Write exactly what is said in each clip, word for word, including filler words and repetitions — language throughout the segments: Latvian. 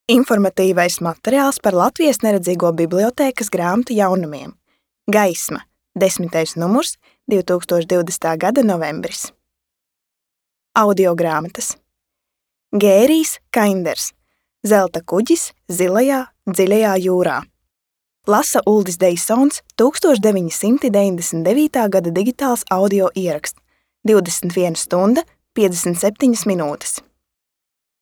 Informatīvais materiāls par Latvijas neredzīgo bibliotēkas grāmatu jaunumiem. Gaisma, desmitais numurs, divi tūkstoši divdesmitā gada novembris. Audiogrāmatas. Gērijs Kainders. Zelta kuģis zilajā, dziļajā jūrā. Lasa Uldis Deisons, tūkstoš deviņi simti deviņdesmit devītā gada digitāls audio ieraksts, divdesmit viena stunda, piecdesmit septiņas minūtes.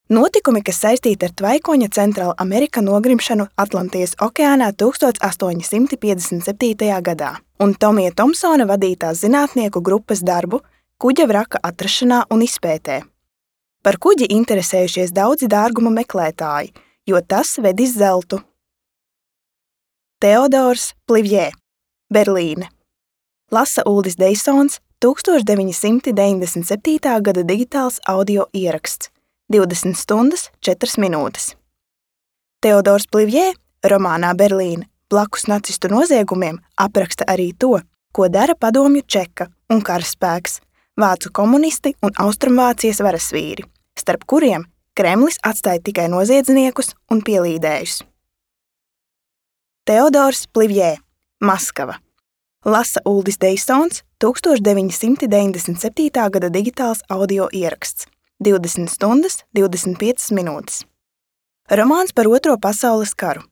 Notikumi, kas saistīti ar tvaikoņa Centrāla Amerika nogrimšanu Atlantijas okeānā tūkstoš astoņi simti piecdesmit septītajā gadā un Tomija Tomsona vadītās zinātnieku grupas darbu kuģa vraka atrašanā un izpētē. Par kuģi interesējušies daudzi dārguma meklētāji, jo tas vedis zeltu. Teodors Plivjē, Berlīne. Lasa Uldis Deisons, tūkstoš deviņi simti deviņdesmit septītā gada digitāls audio ieraksts, divdesmit stundas, četras minūtes. Teodors Plivjē romānā Berlīne blakus nacistu noziegumiem apraksta arī to, ko dara padomju Čeka un karaspēks, vācu komunisti un Austrumvācijas varasvīri, starp kuriem Kremlis atstāja tikai noziedzniekus un pielīdējus. Teodors Plivjē, Maskava. Lasa Uldis Deisons, tūkstoš deviņi simti deviņdesmit septītā gada digitāls audio ieraksts, divdesmit stundas, divdesmit piecas minūtes. Romāns par Otro pasaules karu.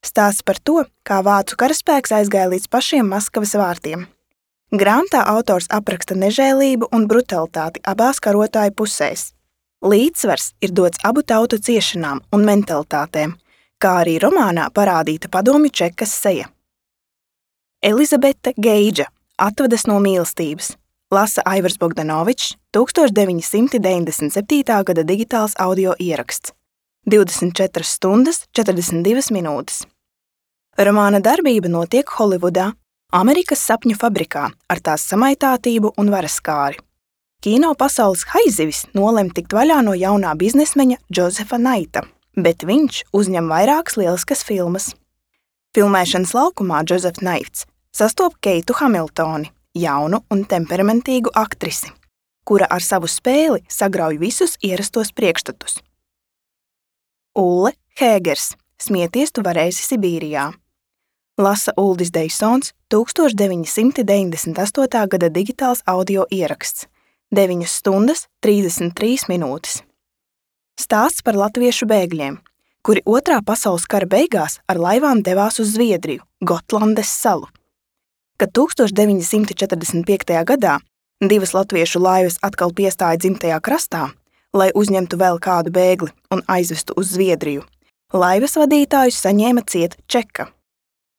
Stāsts par to, kā vācu karaspēks aizgāja līdz pašiem Maskavas vārtiem. Grāmatā autors apraksta nežēlību un brutalitāti abās karotāju pusēs. Līdzsvars ir dots abu tautu ciešanām un mentalitātēm, kā arī romānā parādīta padomju Čekas seja. Elizabete Geidža, Atvadas no mīlestības. Lasa Aivars Bogdanovičs, tūkstoš deviņi simti deviņdesmit septītā gada digitāls audio ieraksts, divdesmit četras stundas, četrdesmit divas minūtes. Romāna darbība notiek Holivudā, Amerikas sapņu fabrikā ar tās samaitātību un varaskāri. Kino pasaules haizivis nolem tikt vaļā no jaunā biznesmeņa Džozefa Naita, bet viņš uzņem vairākas lieliskas filmas. Filmēšanas laukumā Džozefs Naits sastop Keitu Hamiltoni, jaunu un temperamentīgu aktrisi, kura ar savu spēli sagrauj visus ierastos priekšstatus. Ulle Hēgers, Smieties tu varēsi Sibīrijā. Lasa Uldis Deisons, tūkstoš deviņi simti deviņdesmit astotā gada digitāls audio ieraksts, deviņas stundas, trīsdesmit trīs minūtes. Stāsts par latviešu bēgļiem, kuri Otrā pasaules kara beigās ar laivām devās uz Zviedriju, Gotlandes salu. Kad tūkstoš deviņi simti četrdesmit piektajā gadā divas latviešu laivas atkal piestāja dzimtajā krastā, lai uzņemtu vēl kādu bēgli un aizvestu uz Zviedriju, laivas vadītājus saņēma ciet Čeka.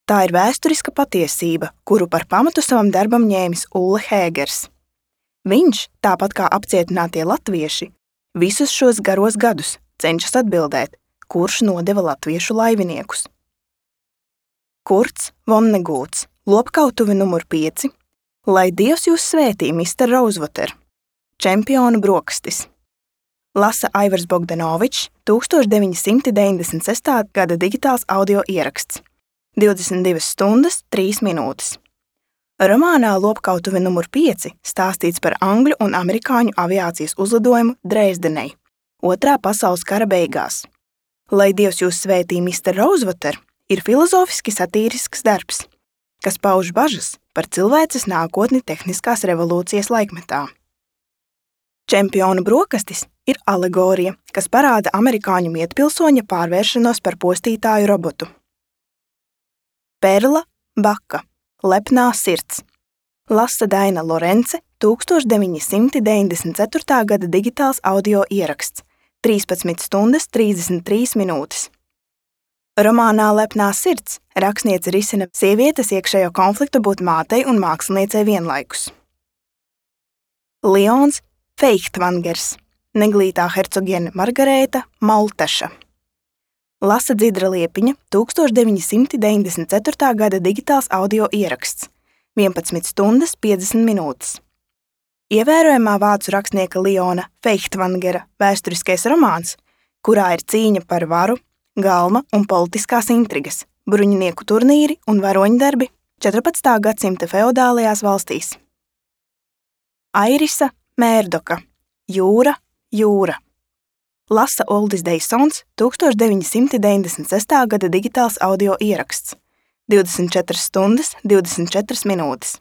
Tā ir vēsturiska patiesība, kuru par pamatu savam darbam ņēmis Ulle Hēgers. Viņš, tāpat kā apcietinātie latvieši, visus šos garos gadus cenšas atbildēt, kurš nodeva latviešu laiviniekus. Kurts Vonnegūts, Lopkautuve numur pieci, Lai Dievs jūs svētī, mister Rosewater, Čempionu brokastis. Lasa Aivars Bogdanovičs, tūkstoš deviņi simti deviņdesmit sestā gada digitāls audio ieraksts, divdesmit divas stundas, trīs minūtes. Romānā Lopkautuve numur pieci stāstīts par angļu un amerikāņu aviācijas uzlidojumu Dresdenei, Otrā pasaules kara beigās. Lai Dievs jūs svētī, mister Rosewater, ir filozofiski satīrisks darbs, kas pauž bažas par cilvēces nākotni tehniskās revolūcijas laikmetā. Čempionu brokastis ir alegorija, kas parāda amerikāņu mietpilsoņa pārvēršanos par postītāju robotu. Perla Baka, Lepnā sirds. Lasa Daina Lorence, tūkstoš deviņi simti deviņdesmit ceturtā gada digitāls audio ieraksts, trīspadsmit stundas, trīsdesmit trīs minūtes. Romānā Lepnā sirds rakstniece risina sievietes iekšējo konfliktu būt mātei un māksliniecei vienlaikus. Lions Feichtvangers, Neglītā hercogiene Margarēta Malteša. Lasa Dzidra Liepiņa, tūkstoš deviņi simti deviņdesmit ceturtā gada digitāls audio ieraksts, vienpadsmit stundas, piecdesmit minūtes. Ievērojamā vācu rakstnieka Liona Feichtvangera vēsturiskais romāns, kurā ir cīņa par varu, galma un politiskās intrigas, bruņinieku turnīri un varoņdarbi četrpadsmitā gadsimta feodālajās valstīs. Airisa Mērdoka, Jūra, jūra. Lasa Uldis Deisons, tūkstoš deviņi simti deviņdesmit sestā gada digitāls audio ieraksts, divdesmit četras stundas, divdesmit četras minūtes.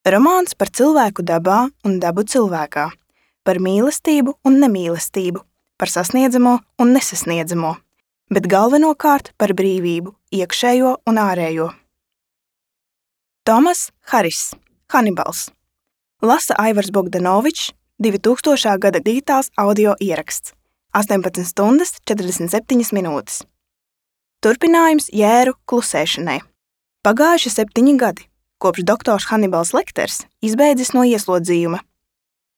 Romāns par cilvēku dabā un dabu cilvēkā, par mīlestību un nemīlestību, par sasniedzamo un nesasniedzamo, bet galvenokārt par brīvību, iekšējo un ārējo. Tomas Haris, Hanibals. Lasa Aivars Bogdanovičs, divi tūkstošā gada digitāls audio ieraksts, astoņpadsmit stundas, četrdesmit septiņas minūtes. Turpinājums Jēru klusēšanai. Pagājuši septiņi gadi, kopš doktors Hanibals Lekters izbeidzis no ieslodzījuma.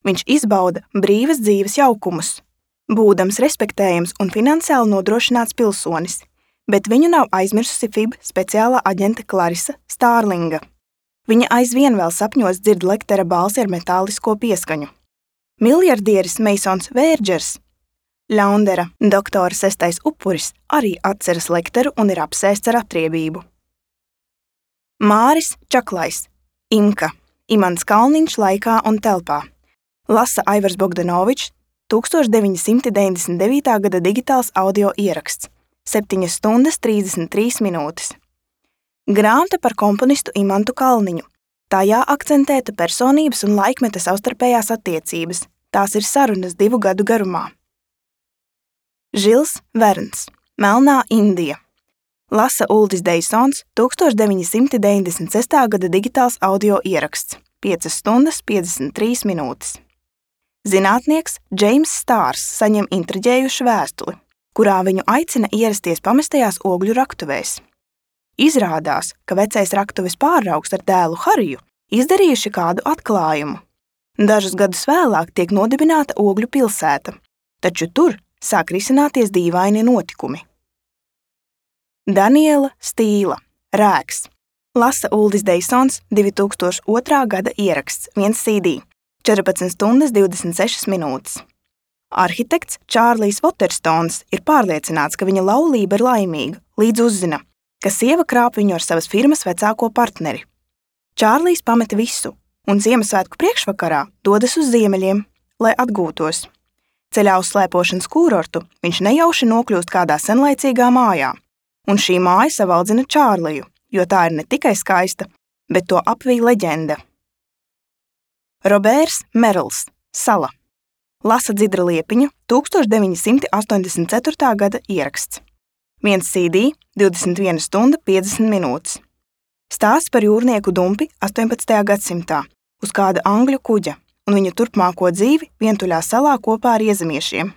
Viņš izbauda brīvas dzīves jaukumus, būdams respektējams un finansiāli nodrošināts pilsonis, bet viņu nav aizmirsusi F I B speciālā aģente Klarisa Stārlinga. Viņa aizvien vēl sapņos dzird Lektera balsi ar metālisko pieskaņu. Miljardieris Meisons Vērdžers, Ļaundera doktora sestais upuris, arī atceras Lekteru un ir apsēsts ar atriebību. Māris Čaklais, Imka, Imants Kalniņš laikā un telpā. Lasa Aivars Bogdanovičs, tūkstoš deviņi simti deviņdesmit devītā gada digitāls audio ieraksts, septiņas stundas, trīsdesmit trīs minūtes. Grāmata par komponistu Imantu Kalniņu. Tajā akcentēta personības un laikmeta savstarpējās attiecības. Tās ir sarunas divu gadu garumā. Žils Verns, Melnā Indija. Lasa Uldis Deisons, tūkstoš deviņi simti deviņdesmit sestā gada digitāls audio ieraksts, piecas stundas, piecdesmit trīs minūtes. Zinātnieks Džeims Stārs saņem intriģējušu vēstuli, kurā viņu aicina ierasties pamestajās ogļu raktuvēs. Izrādās, ka vecais raktuves pārraugs ar dēlu Hariju izdarījuši kādu atklājumu. Dažus gadus vēlāk tiek nodibināta ogļu pilsēta, taču tur sāk risināties dīvaini notikumi. Daniela Stīla, Rēks. Lasa Uldis Deisons, divi tūkstoši otrā gada ieraksts, viens C D, četrpadsmit stundas, divdesmit sešas minūtes. Arhitekts Čārlijs Voterstons ir pārliecināts, ka viņa laulība ir laimīga, līdz uzzina, ka sieva krāp viņu ar savas firmas vecāko partneri. Čārlijs pameta visu un Ziemassvētku priekšvakarā dodas uz ziemeļiem, lai atgūtos. Ceļā uz slēpošanas kūrortu viņš nejauši nokļūst kādā senlaicīgā mājā, un šī māja savaldzina Čārliju, jo tā ir ne tikai skaista, bet to apvij leģenda. Robērs Merls, Sala. Lasa Dzidra Liepiņa, tūkstoš deviņi simti astoņdesmit ceturtā gada ieraksts. viens C D, divdesmit viena stunda, piecdesmit minūtes. Stāsts par jūrnieku Dumpi astoņpadsmitajā gadsimtā uz kāda angļu kuģa un viņa turpmāko dzīvi vientuļā salā kopā ar iezemiešiem.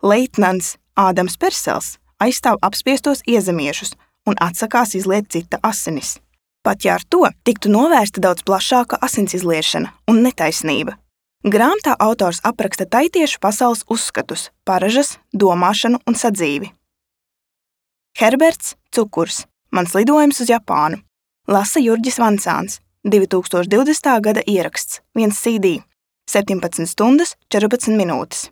Leitnants Ādams Persels aizstāv apspiestos iezemiešus un atsakās izliet cita asinis. Pat ja ar to tiktu novērsta daudz plašāka asins izliešana un netaisnība. Grāmatā autors apraksta taitiešu pasaules uzskatus, paražas, domāšanu un sadzīvi. Herberts Cukurs, Mans lidojums uz Japānu. Lasa Jurģis Vancāns, divi tūkstoši divdesmitā gada ieraksts, viens C D, septiņpadsmit stundas, četrpadsmit minūtes.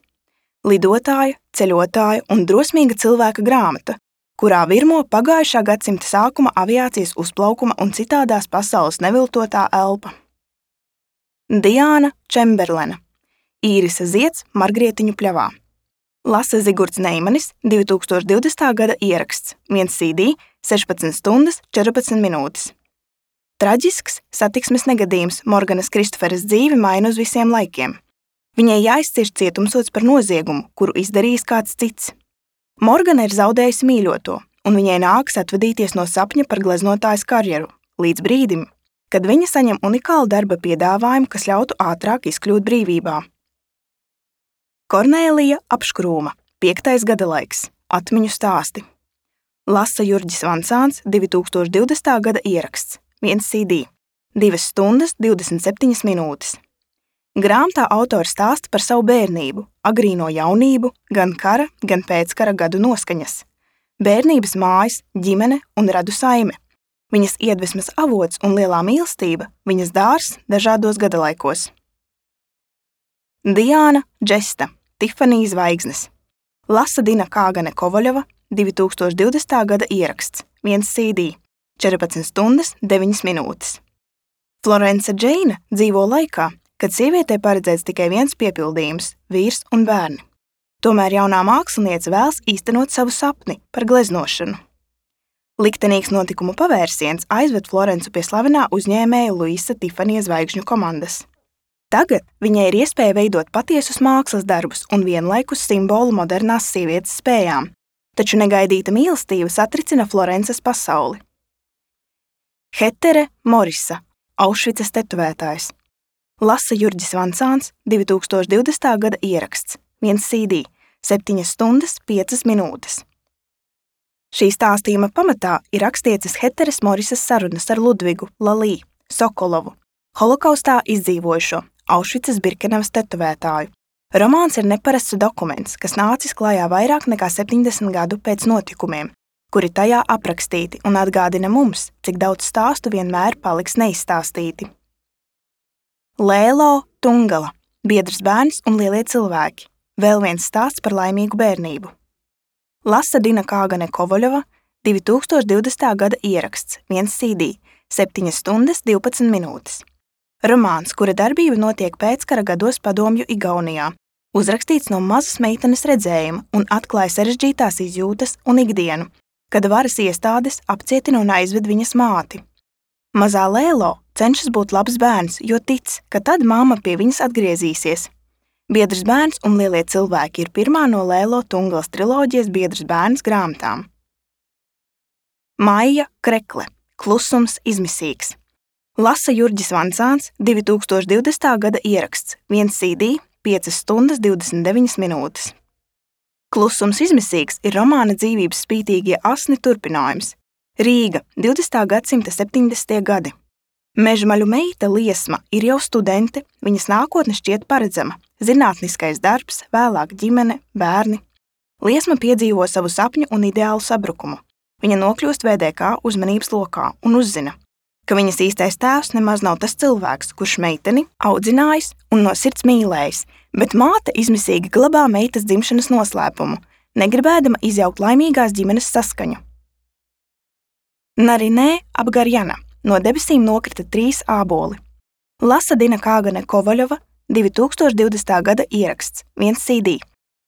Lidotāja, ceļotāja un drosmīga cilvēka grāmata, kurā virmo pagājušā gadsimta sākuma aviācijas uzplaukuma un citādās pasaules neviltotā elpa. Diāna Čemberlena, Īrisa Zieds Margrietiņu pļavā. Lasa Zigurds Neimanis, divi tūkstoši divdesmitā gada ieraksts, viens C D, sešpadsmit stundas, četrpadsmit minūtes. Traģisks satiksmes negadījums Morganas Kristoferas dzīvi maina uz visiem laikiem. Viņai jāizcieš cietumsods par noziegumu, kuru izdarījis kāds cits. Morgana ir zaudējusi mīļoto, un viņai nākas atvadīties no sapņa par gleznotājas karjeru, līdz brīdim, kad viņa saņem unikālu darba piedāvājumu, kas ļautu ātrāk izkļūt brīvībā. Kornēlija Apškrūma, piektais gadalaiks, atmiņu stāsti. Lasa Jurģis Vancāns, divi tūkstoši divdesmitā gada ieraksts, viens C D, divas stundas, divdesmit septiņas minūtes. Grāmatā autors stāsta par savu bērnību, agrīno jaunību, gan kara, gan pēckara gadu noskaņas. Bērnības mājas, ģimene un radu saime. Viņas iedvesmas avots un lielā mīlestība, viņas dārs dažādos gadalaikos. Diāna Džesta, Tifanija Zvaigznes. Lasa Dina Kāgane Kovaļova, divi tūkstoši divdesmitā gada ieraksts, viens C D, četrpadsmit stundas, deviņas minūtes. Florence Džeina dzīvo laikā, kad sievietei paredzēts tikai viens piepildījums – vīrs un bērni. Tomēr jaunā māksliniece vēlas īstenot savu sapni par gleznošanu. Liktenīgs notikumu pavērsiens aizved Florencu pie slavenā uzņēmēja Luisa Tifanija zvaigžņu komandas. Tagad viņai ir iespēja veidot patiesus mākslas darbus un vienlaikus simbolu modernās sievietes spējām, taču negaidīta mīlestība satricina Florences pasauli. Hetere Morisa, Aušvicas tetovētājs. Lasa Jurģis Vansāns, divi tūkstoši divdesmitā gada ieraksts, viens C D, septiņas stundas, piecas minūtes. Šī stāstījuma pamatā ir rakstieces Heteres Morisas sarunas ar Ludvigu Lalī Sokolovu, holokaustā izdzīvojušo Aušvicas Birkenavas tetovētāju. Romāns ir neparasts dokuments, kas nācis klājā vairāk nekā septiņdesmit gadu pēc notikumiem, kuri tajā aprakstīti un atgādina mums, cik daudz stāstu vienmēr paliks neizstāstīti. Lēlo Tungala, biedrs bērns un lielie cilvēki. Vēl viens stāsts par laimīgu bērnību. Lasa Dina Kāgane Kovaļova, divi tūkstoši divdesmitā gada ieraksts, viens C D, septiņas stundas, divpadsmit minūtes. Romāns, kura darbība notiek pēckara gados padomju Igaunijā, uzrakstīts no mazas meitenes redzējuma un atklāja sarežģītās izjūtas un ikdienu, kad varas iestādes apcietina un aizved viņas māti. Mazā Lēlo cenšas būt labs bērns, jo tic, ka tad mamma pie viņas atgriezīsies. Biedrs bērns un lielie cilvēki ir pirmā no Lēlo Tungalas triloģijas Biedrs bērns grāmatām. Maija Krekle, Klusums izmisīgs. Lasa Jurģis Vansāns, divi tūkstoši divdesmitā gada ieraksts, viens C D, piecas stundas, divdesmit deviņas minūtes. Klusums izmisīgs ir romāna dzīvības spītīgie asni turpinājums. Rīga, divdesmitā gadsimta septiņdesmitie gadi. Mežmaļu meita Liesma ir jau studente, viņas nākotne šķiet paredzama. Zinātniskais darbs, vēlāk ģimene, bērni. Liesma piedzīvo savu sapņu un ideālu sabrukumu. Viņa nokļūst V D K uzmanības lokā un uzzina, ka viņas īstais tēvs nemaz nav tas cilvēks, kurš meiteni audzinājis un no sirds mīlējis, bet māte izmisīgi glabā meitas dzimšanas noslēpumu, negribēdama izjaukt laimīgās ģimenes saskaņu. Narinē Abgarjana, no debesīm nokrita trīs āboli. Lasa Dina Kāgane Kovaļova, divi tūkstoši divdesmitā gada ieraksts, viens C D,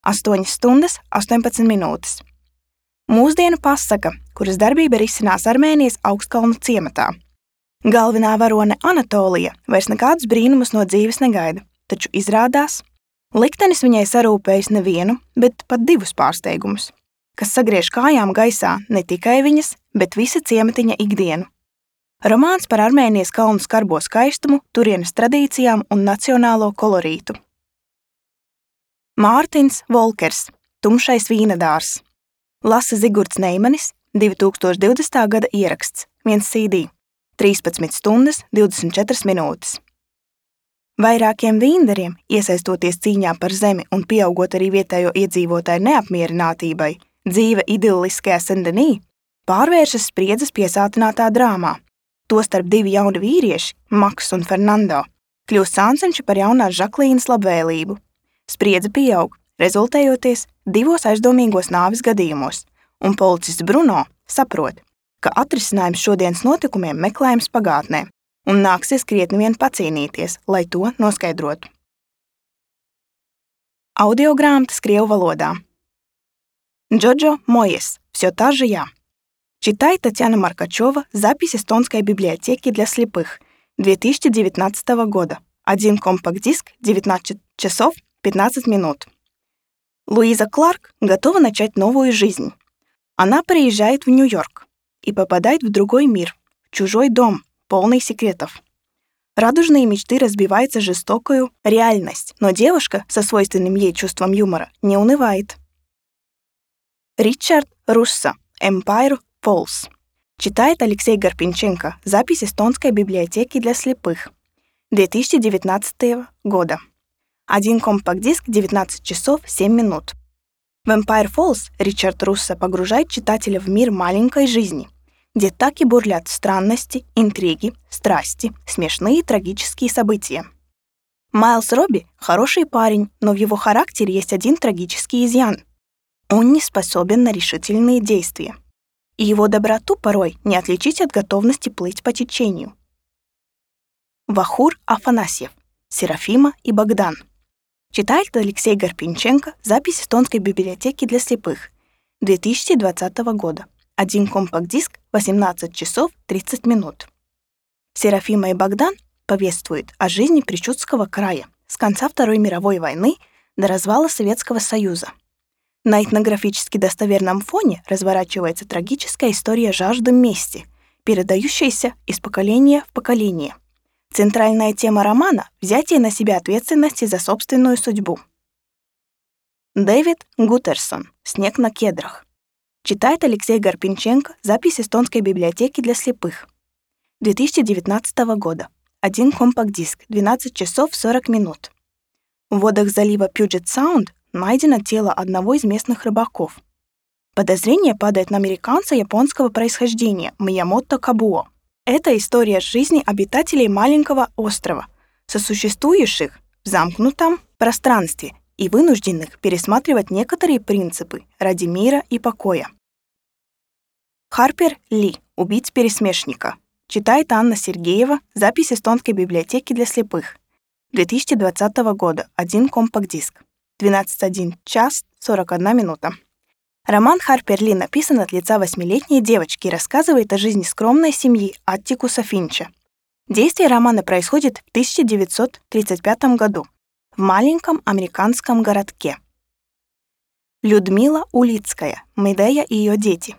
astoņas stundas, astoņpadsmit minūtes. Mūsdienu pasaka, kuras darbība risinās Armēnijas Augstkalnu ciematā. Galvenā varone Anatolija vairs nekādus brīnumus no dzīves negaida, taču izrādās, liktenis viņai sarūpējis nevienu, bet pat divus pārsteigumus, kas sagriež kājām gaisā ne tikai viņas, bet visa ciematiņa ikdienu. Romāns par Armēnijas kalnu skarbo skaistumu, turienes tradīcijām un nacionālo kolorītu. Mārtins Volkers, Tumšais vīnedārs. Lasa Zigurds Neimanis, divi tūkstoši divdesmitā gada ieraksts, viens C D, trīspadsmit stundas, divdesmit četras minūtes. Vairākiem vīndariem, iesaistoties cīņā par zemi un pieaugot arī vietējo iedzīvotāju neapmierinātībai, dzīve idilliskajā Sendenī pārvēršas spriedzes piesātinātā drāmā. Tostarp divi jauni vīrieši, Maks un Fernando, kļūst sāncenši par jaunās Žaklīnas labvēlību. Spriedze pieaug, rezultējoties divos aizdomīgos nāves gadījumos, un policists Bruno saprot, ka atrisinājums šodienas notikumiem meklējams pagātnē, un nāksies krietni vien pacīnīties, lai to noskaidrotu. Audiogrāmatas krievu valodā. Джоджо Моес, «Всё та же я». Читай Татьяна Маркачева «Запись эстонской библиотеки для слепых» две тысячи девятнадцатого года. Один компакт-диск, девятнадцать часов пятнадцать минут. Луиза Кларк готова начать новую жизнь. Она приезжает в Нью-Йорк и попадает в другой мир, в чужой дом, полный секретов. Радужные мечты разбиваются жестокую реальность, но девушка со свойственным ей чувством юмора не унывает. Ричард Руссо, «Empire Falls». Читает Алексей Гарпинченко «Запись эстонской библиотеки для слепых» две тысячи девятнадцатого года. Один компакт-диск, девятнадцать часов семь минут. В Empire Falls Ричард Руссо погружает читателя в мир маленькой жизни, где так и бурлят странности, интриги, страсти, смешные и трагические события. Майлз Робби – хороший парень, но в его характере есть один трагический изъян. Он не способен на решительные действия. И его доброту порой не отличить от готовности плыть по течению. Вахур Афанасьев, Серафима и Богдан. Читает Алексей Гарпинченко. Запись эстонской библиотеки для слепых. две тысячи двадцатого года. Один компакт-диск, восемнадцать часов тридцать минут. Серафима и Богдан повествуют о жизни Причудского края с конца Второй мировой войны до развала Советского Союза. На этнографически достоверном фоне разворачивается трагическая история жажды мести, передающаяся из поколения в поколение. Центральная тема романа — взятие на себя ответственности за собственную судьбу. Дэвид Гуттерсон. «Снег на кедрах». Читает Алексей Гарпинченко. Запись эстонской библиотеки для слепых. две тысячи девятнадцатого года. Один компакт-диск, двенадцать часов сорок минут. В водах залива Пьюджет-Саунд найдено тело одного из местных рыбаков. Подозрение падает на американца японского происхождения Миямото Кабуо. Это история жизни обитателей маленького острова, сосуществующих в замкнутом пространстве и вынужденных пересматривать некоторые принципы ради мира и покоя. Харпер Ли. «Убить пересмешника». Читает Анна Сергеева. Запись эстонской библиотеки для слепых. две тысячи двадцатого года. Один компакт-диск. двенадцать один час сорок одна минута. Роман Харпер Ли написан от лица восьмилетней девочки и рассказывает о жизни скромной семьи Аттикуса Финча. Действие романа происходит в тысяча девятьсот тридцать пятом году в маленьком американском городке. Людмила Улицкая. «Медея и ее дети».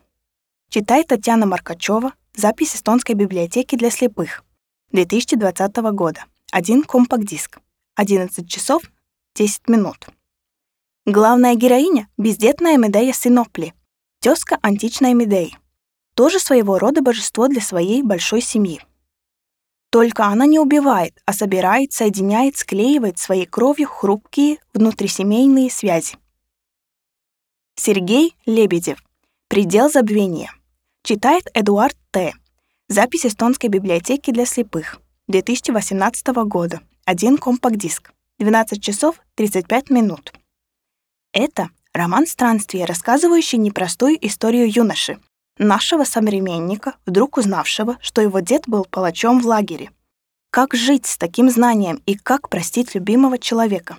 Читает Татьяна Маркачева. Запись эстонской библиотеки для слепых. две тысячи двадцатого года. Один компакт-диск. одиннадцать часов десять минут. Главная героиня — бездетная Медея Синопли, тезка античной Медеи, тоже своего рода божество для своей большой семьи. Только она не убивает, а собирает, соединяет, склеивает своей кровью хрупкие внутрисемейные связи. Сергей Лебедев. «Предел забвения». Читает Эдуард Т. Запись эстонской библиотеки для слепых. две тысячи восемнадцатого года. Один компакт-диск. двенадцать часов тридцать пять минут. Это роман странствия, рассказывающий непростую историю юноши, нашего современника, вдруг узнавшего, что его дед был палачом в лагере. Как жить с таким знанием и как простить любимого человека?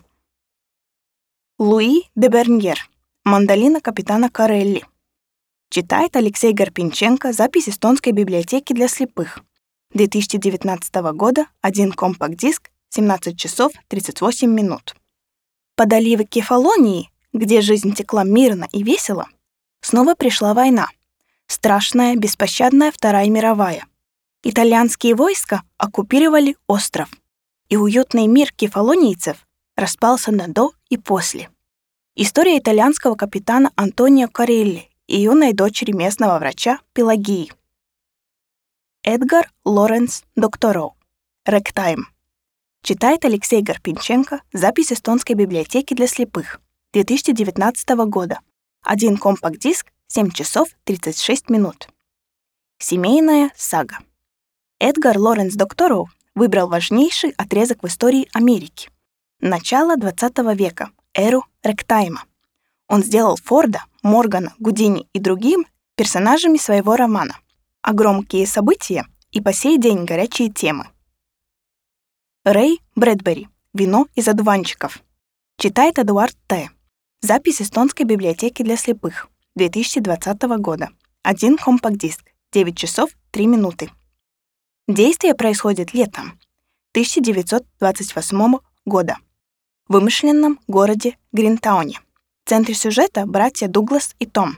Луи де Берньер. «Мандолина капитана Корелли». Читает Алексей Гарпинченко. Запись эстонской библиотеки для слепых. две тысячи девятнадцатого года. Один компакт-диск. семнадцать часов тридцать восемь минут. Под оливы Кефалонии, где жизнь текла мирно и весело, снова пришла война. Страшная, беспощадная Вторая мировая. Итальянские войска оккупировали остров, и уютный мир кефалонийцев распался на «до» и «после». История итальянского капитана Антонио Корелли и юной дочери местного врача Пелагии. Эдгар Лоренс Доктороу. «Рэгтайм». Читает Алексей Гарпинченко. Запись эстонской библиотеки для слепых. две тысячи девятнадцатого года. Один компакт-диск, семь часов тридцать шесть минут. Семейная сага. Эдгар Лоренс Доктороу выбрал важнейший отрезок в истории Америки. Начало двадцатого века, эру рэгтайма. Он сделал Форда, Моргана, Гудини и другим персонажами своего романа. А громкие события и по сей день горячие темы. Рэй Брэдбери. «Вино из одуванчиков». Читает Эдуард Т. Запись эстонской библиотеки для слепых. две тысячи двадцатого года. Один компакт-диск. девять часов три минуты. Действие происходит летом тысяча девятьсот двадцать восьмого года в вымышленном городе Гринтауне. В центре сюжета братья Дуглас и Том.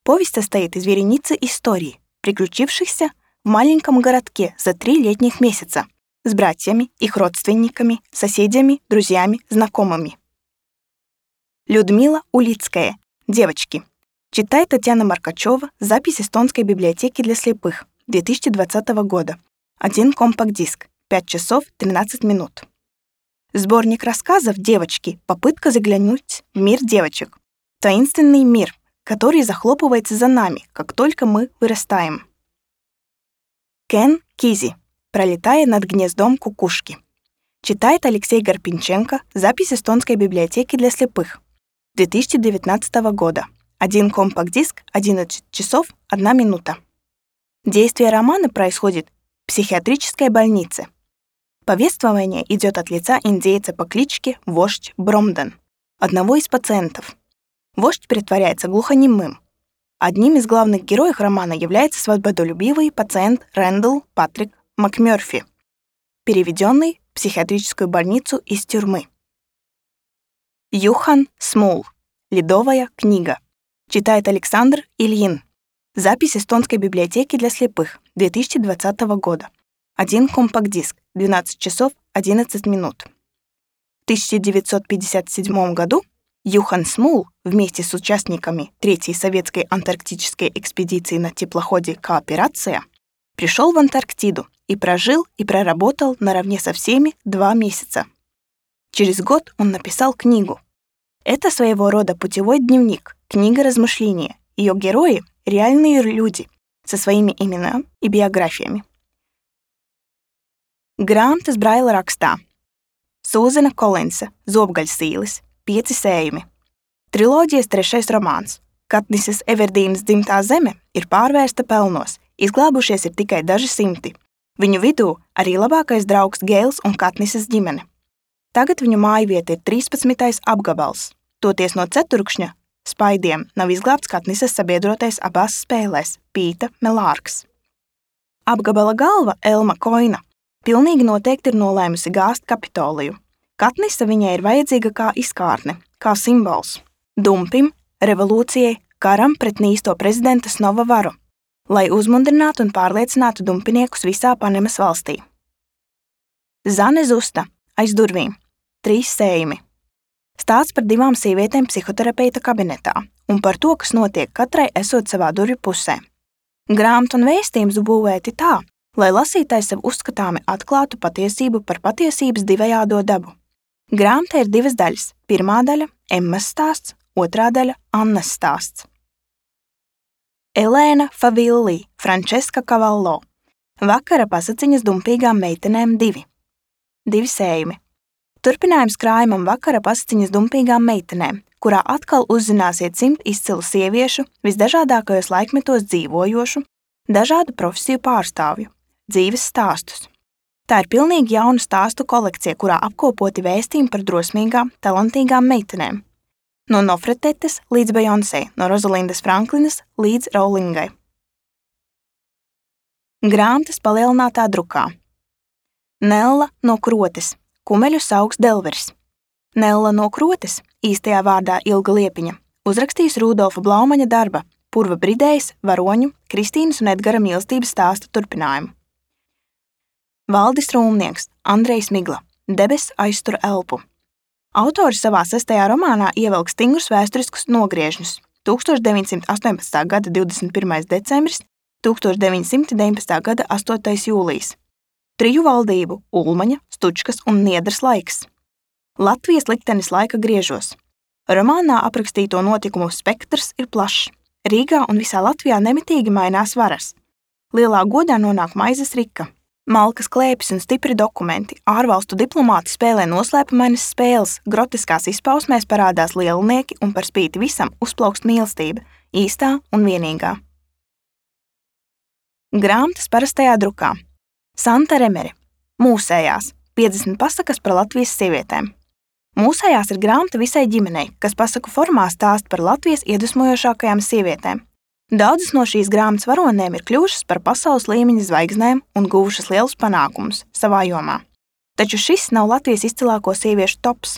Повесть состоит из вереницы историй, приключившихся в маленьком городке за три летних месяца с братьями, их родственниками, соседями, друзьями, знакомыми. Людмила Улицкая. «Девочки». Читает Татьяна Маркачева. Запись эстонской библиотеки для слепых. две тысячи двадцатого года. Один компакт-диск. пять часов тринадцать минут. Сборник рассказов «Девочки. Попытка заглянуть в мир девочек». Таинственный мир, который захлопывается за нами, как только мы вырастаем. Кен Кизи. «Пролетая над гнездом кукушки». Читает Алексей Гарпинченко. Запись эстонской библиотеки для слепых. две тысячи девятнадцатого года. Один компакт-диск, одиннадцать часов одна минута. Действие романа происходит в психиатрической больнице. Повествование идет от лица индейца по кличке Вождь Бромден, одного из пациентов. Вождь притворяется глухонемым. Одним из главных героев романа является свободолюбивый пациент Рэндалл Патрик МакМёрфи, переведенный в психиатрическую больницу из тюрьмы. Юхан Смул. Ледовая книга. Читает Александр Ильин. Запись Эстонской библиотеки для слепых две тысячи двадцатого года. Один компакт-диск, двенадцать часов одиннадцать минут. В тысяча девятьсот пятьдесят седьмом году Юхан Смул вместе с участниками Третьей советской антарктической экспедиции на теплоходе «Кооперация» пришел в Антарктиду и прожил и проработал наравне со всеми два месяца. Через год он написал книгу. Это своего рода путевой дневник, книга размышления. Ее герои — реальные люди со своими именами и биографиями. Grāmatas Braila rakstā. Sūzena Kolensa, Zobgaļsīlis, Pieci sējumi. Triloģijas trešais romāns. Katnises Everdīnas dzimtā zeme ir pārvērsta pelnos, izglābušies ir tikai daži simti. Viņu vidū arī labākais draugs Gēls un Katnises ģimene. Tagad viņu mājvieta ir trīspadsmitais apgabals. Toties no ceturkšņa spaidiem nav izglābts Katnises sabiedrotais abās spēlēs – Pīta Melārks. Apgabala galva Elma Koina pilnīgi noteikti ir nolēmusi gāzt Kapitoliju. Katnise viņai ir vajadzīga kā izkārne, kā simbols. Dumpim, revolūcijai, karam pret nīsto prezidenta Snova varu, lai uzmundrinātu un pārliecinātu dumpiniekus visā Panemas valstī. Zane Zusta, aiz durvīm. Trīs sējumi. Stāsts par divām sievietēm psihoterapeita kabinetā un par to, kas notiek katrai esot savā durvju pusē. Grāmatu un vēstījums būvēti tā, lai lasītājs sev uzskatāmi atklātu patiesību par patiesības divējādo dabu. Grāmatā ir divas daļas. Pirmā daļa – Emmas stāsts, otrā daļa – Annas stāsts. Elēna Favilli, Frančeska Kavallo. Vakara pasaciņas dumpīgām meitenēm divi. Divi sējumi. Turpinājums krājumam Vakara pasaciņas dumpīgām meitenēm, kurā atkal uzzināsiet simt izcilu sieviešu, visdažādākajos laikmetos dzīvojošu, dažādu profesiju pārstāvju, dzīves stāstus. Tā ir pilnīgi jauna stāstu kolekcija, kurā apkopoti vēstījumi par drosmīgām, talantīgām meitenēm. No Nofretetes līdz Beyoncé, no Rozalindas Franklinas līdz Rowlingai. Grāmatas palielinātā drukā. Nella no Krotes, kumeļu saugs Delvers. Nella no Krotes, īstajā vārdā Ilga Liepiņa, uzrakstījis Rudolfa Blaumaņa darba Purva Bridējas, Varoņu, Kristīnas un Edgara mīlestības stāsta turpinājumu. Valdis Rūmnieks, Andrejs Migla, Debes aiztur elpu. Autors savā sestajā romānā ievelk stingrus vēsturiskus nogriežņus. tūkstoš deviņsimt astoņpadsmitā gada divdesmit pirmais decembris, tūkstoš deviņsimt deviņpadsmitā gada astotais jūlijs. Triju valdību – Ulmaņa, Stučkas un Niedras laiks. Latvijas liktenis laika griežos. Romānā aprakstīto notikumu spektrs ir plašs. Rīgā un visā Latvijā nemitīgi mainās varas. Lielā godā nonāk maizes rika. Malkas klēpis un stipri dokumenti, ārvalstu diplomāti spēlē noslēpumainas spēles, grotiskās izpausmēs parādās lielnieki un par spīti visam uzplaukst mīlestība, īstā un vienīgā. Grāmatas parastajā drukā. Santa Remere. Mūsējās. piecdesmit pasakas par Latvijas sievietēm. Mūsējās ir grāmata visai ģimenei, kas pasaku formā stāst par Latvijas iedvesmojošākajām sievietēm. Daudzas no šīs grāmatas varonēm ir kļuvušas par pasaules līmeņa zvaigznēm un guvušas lielus panākumus savā jomā. Taču šis nav Latvijas izcilāko sieviešu tops.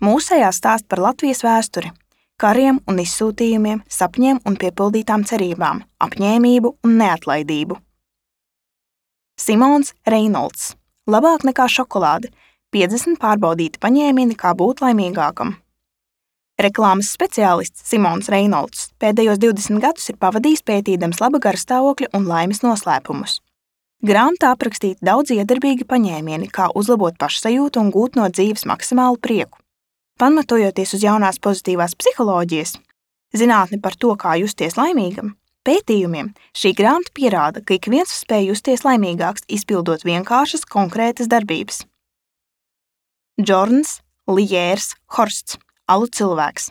Mūsējās stāst par Latvijas vēsturi, kariem un izsūtījumiem, sapņiem un piepildītām cerībām, apņēmību un neatlaidību. Simons Reinolds. Labāk nekā šokolāde. piecdesmit pārbaudīti paņēmieni, kā būt laimīgākam. Reklāmas speciālists Simons Reinolds pēdējos divdesmit gadus ir pavadījis pētīdams laba garastāvokļa un laimes noslēpumus. Grāmatā aprakstīti daudz iedarbīgi paņēmieni, kā uzlabot pašsajūtu un gūt no dzīves maksimālu prieku. Pamatojoties uz jaunās pozitīvās psiholoģijas, zinātni par to, kā justies laimīgam, pētījumiem, šī grāmata pierāda, ka ik viens spēj justies laimīgāks, izpildot vienkāršas, konkrētas darbības. Džorns Lijērs Horsts. Alu cilvēks.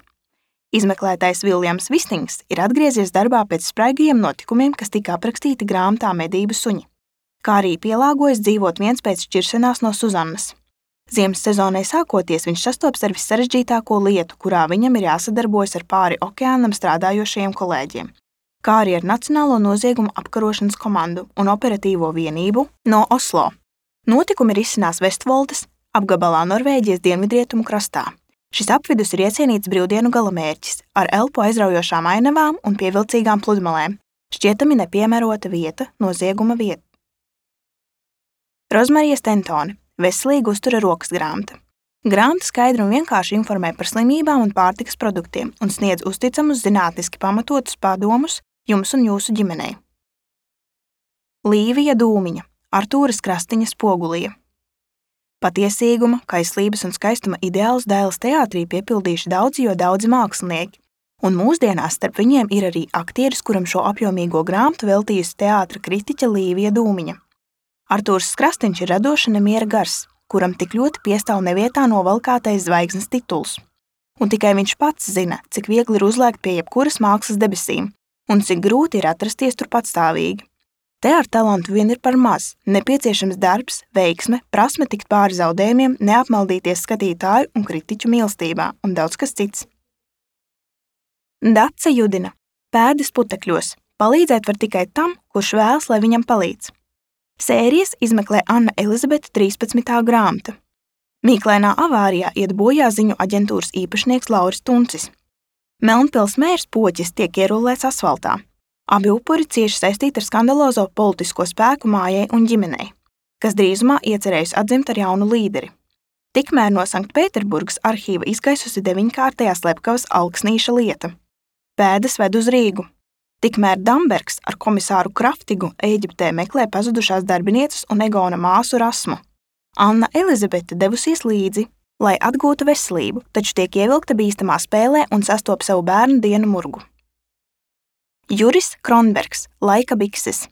Izmeklētājs Viljams Vistings ir atgriezies darbā pēc spraigajiem notikumiem, kas tika aprakstīti grāmatā Medību suņi. kā arī pielāgojas dzīvot viens pēc šķiršanās no Suzannas. Ziemas sezonai sākoties, viņš sastopas ar vissarežģītāko lietu, kurā viņam ir jāsadarbojas ar pāri okeānam strādājošajiem kolēģiem, kā arī ar Nacionālo noziegumu apkarošanas komandu un operatīvo vienību no Oslo. Notikumi risinās Vestvoldes apgabalā Norvēģijas dienvidrietumu krastā. Šis apvidus ir iecienīts brīvdienu galamērķis ar elpu aizraujošām ainavām un pievilcīgām pludmalēm, šķietami nepiemērota vieta nozieguma vieta. Rozmarija Stentone. Veselīga uztura rokas grāmata. Grāmata skaidri un vienkārši informē par slimībām un pārtikas produktiem un sniedz uzticamus zinātniski pamatotus padomus jums un jūsu ģimenei. Līvija Dūmiņa. Artūras Krastiņa Spogulija. Patiesīguma, kaislības un skaistuma ideālus Dailes teātrī piepildījuši daudzi, jo daudzi mākslinieki, un mūsdienās starp viņiem ir arī aktieris, kuram šo apjomīgo grāmatu veltījusi teātra kritiķe Līvija Dūmiņa. Artūrs Krastiņš ir radoša nemiera gars, kuram tik ļoti piestāv nevietā novalkātais zvaigznes tituls. Un tikai viņš pats zina, cik viegli ir uzlēkt pie jebkuras mākslas debesīm, un cik grūti ir atrasties tur patstāvīgi. Te ar talantu vien ir par maz, nepieciešams darbs, veiksme, prasme tikt pāri zaudējumiem, neapmaldīties skatītāju un kritiķu mīlestībā un daudz kas cits. Dace Judina. Pēdas putekļos. Palīdzēt var tikai tam, kurš vēlas, lai viņam palīdz. Sērijas izmeklē Anna Elizabete trīspadsmitā grāmata. Mīklainā avārijā iet bojā ziņu aģentūras īpašnieks Lauris Tuncis. Melnpils mērs Poķis tiek ierullēts asfaltā. Abi upuri cieši saistīti ar skandalozo politisko spēku mājai un ģimenei, kas drīzumā iecerējusi atzimt ar jaunu līderi. Tikmēr no Sanktpēterburgas arhīva izgaisusi deviņkārtējā slepkavas Alksnīša lieta. Pēdas ved uz Rīgu. Tikmēr Dambergs ar komisāru Kraftigu Ēģiptē meklē pazudušās darbinieces un Egona māsu Rasmu. Anna Elizabete devusies līdzi, lai atgūtu veselību, taču tiek ievilkta bīstamā spēlē un sastop savu bērnu dienu murgu. Juris Kronbergs, Laika bikses.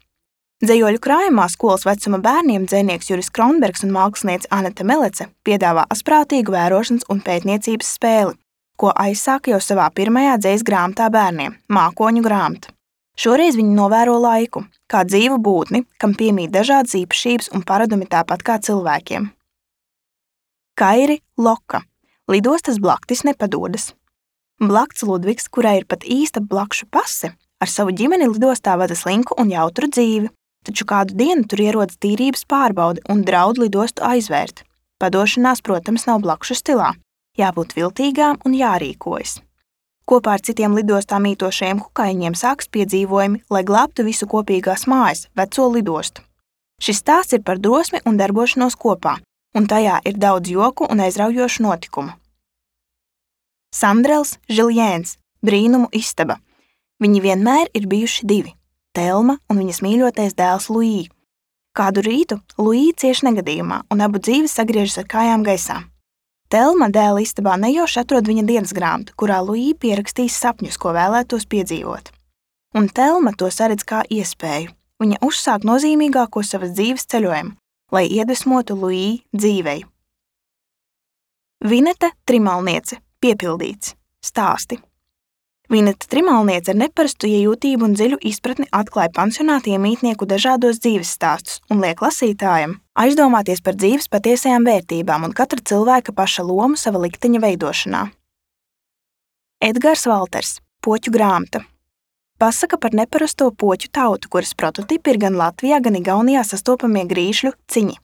Dzejoļu krājumā skolas vecuma bērniem dzejnieks Juris Kronbergs un māksliniece Anete Melece piedāvā asprātīgu vērošanas un pētniecības spēli, ko aizsāka jau savā pirmajā dzejas grāmatā bērniem – Mākoņu grāmata. Šoreiz viņi novēro laiku, kā dzīvu būtni, kam piemīt dažādas īpašības un paradumi tāpat kā cilvēkiem. Kairi Loka. Lidostas blaktis nepadodas. Blakts Ludvigs, kurai ir pat īsta blakšu pase, ar savu ģimeni lidostā vada slinku un jautru dzīvi, taču kādu dienu tur ierodas tīrības pārbaude un draud lidostu aizvērt. Padošanās, protams, nav blakšu stilā. Jābūt viltīgām un jārīkojas. Kopā ar citiem lidostā mītošajiem kukaiņiem sāks piedzīvojumi, lai glābtu visu kopīgās mājas, veco lidostu. Šis stāsts ir par drosmi un darbošanos kopā, un tajā ir daudz joku un aizraujošu notikumu. Sandrels Žiljēns, Brīnumu istaba. Viņi vienmēr ir bijuši divi – Telma un viņas mīļotais dēls Luī. Kādu rītu Luī cieš negadījumā, un abu dzīves sagriežas ar kājām gaisā. Telma dēla istabā nejauši atrod viņa dienas grāmatu, kurā Luī pierakstīs sapņus, ko vēlētos piedzīvot. Un Telma to saredz kā iespēju. Viņa uzsāk nozīmīgāko savas dzīves ceļojumu, lai iedvesmotu Luī dzīvei. Vineta Trimalniece. Piepildīts. Stāsti. Vineta Trimalniece ar neparastu iejūtību un dziļu izpratni atklāja pansionāta iemītnieku dažādos dzīves stāstus un liek lasītājam aizdomāties par dzīves patiesajām vērtībām un katra cilvēka paša lomu sava likteņa veidošanā. Edgars Valters. Poķu grāmata. Pasaka par neparasto poķu tautu, kuras prototipi ir gan Latvijā, gan Igaunijā sastopamie grīšļu ciņi.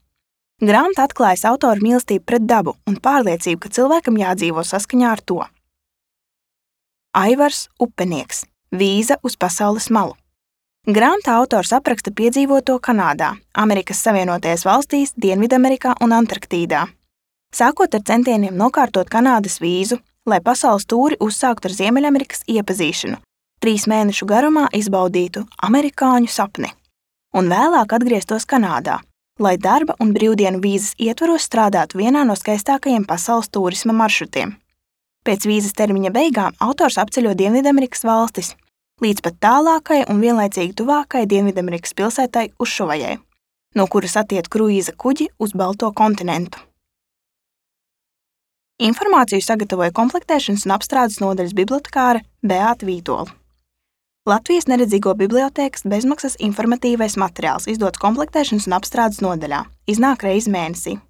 Grāmata atklājas autora mīlestību pret dabu un pārliecību, ka cilvēkam jādzīvo saskaņā ar to. Aivars Upenieks. Vīza uz pasaules malu. Grāmatā autors apraksta piedzīvoto Kanādā, Amerikas Savienotajās valstīs, Dienvidamerikā un Antarktīdā. Sākot ar centieniem nokārtot Kanādas vīzu, lai pasaules tūri uzsāktu ar Ziemeļamerikas iepazīšanu, trīs mēnešu garumā izbaudītu amerikāņu sapni, un vēlāk atgrieztos Kanādā, lai darba un brīvdienu vīzas ietvaros strādātu vienā no skaistākajiem pasaules turisma maršrutiem. Pēc vīzas termiņa beigām autors apceļo Dienvidamerikas valstis, līdz pat tālākai un vienlaicīgi tuvākai Dienvidamerikas pilsētai Ušuvajai, no kuras attiet kruīza kuģi uz Balto kontinentu. Informāciju sagatavoja komplektēšanas un apstrādes nodaļas bibliotekāre Beāta Vītola. Latvijas neredzīgo bibliotēkas bezmaksas informatīvais materiāls izdots komplektēšanas un apstrādes nodaļā. Iznāk reizi mēnesī.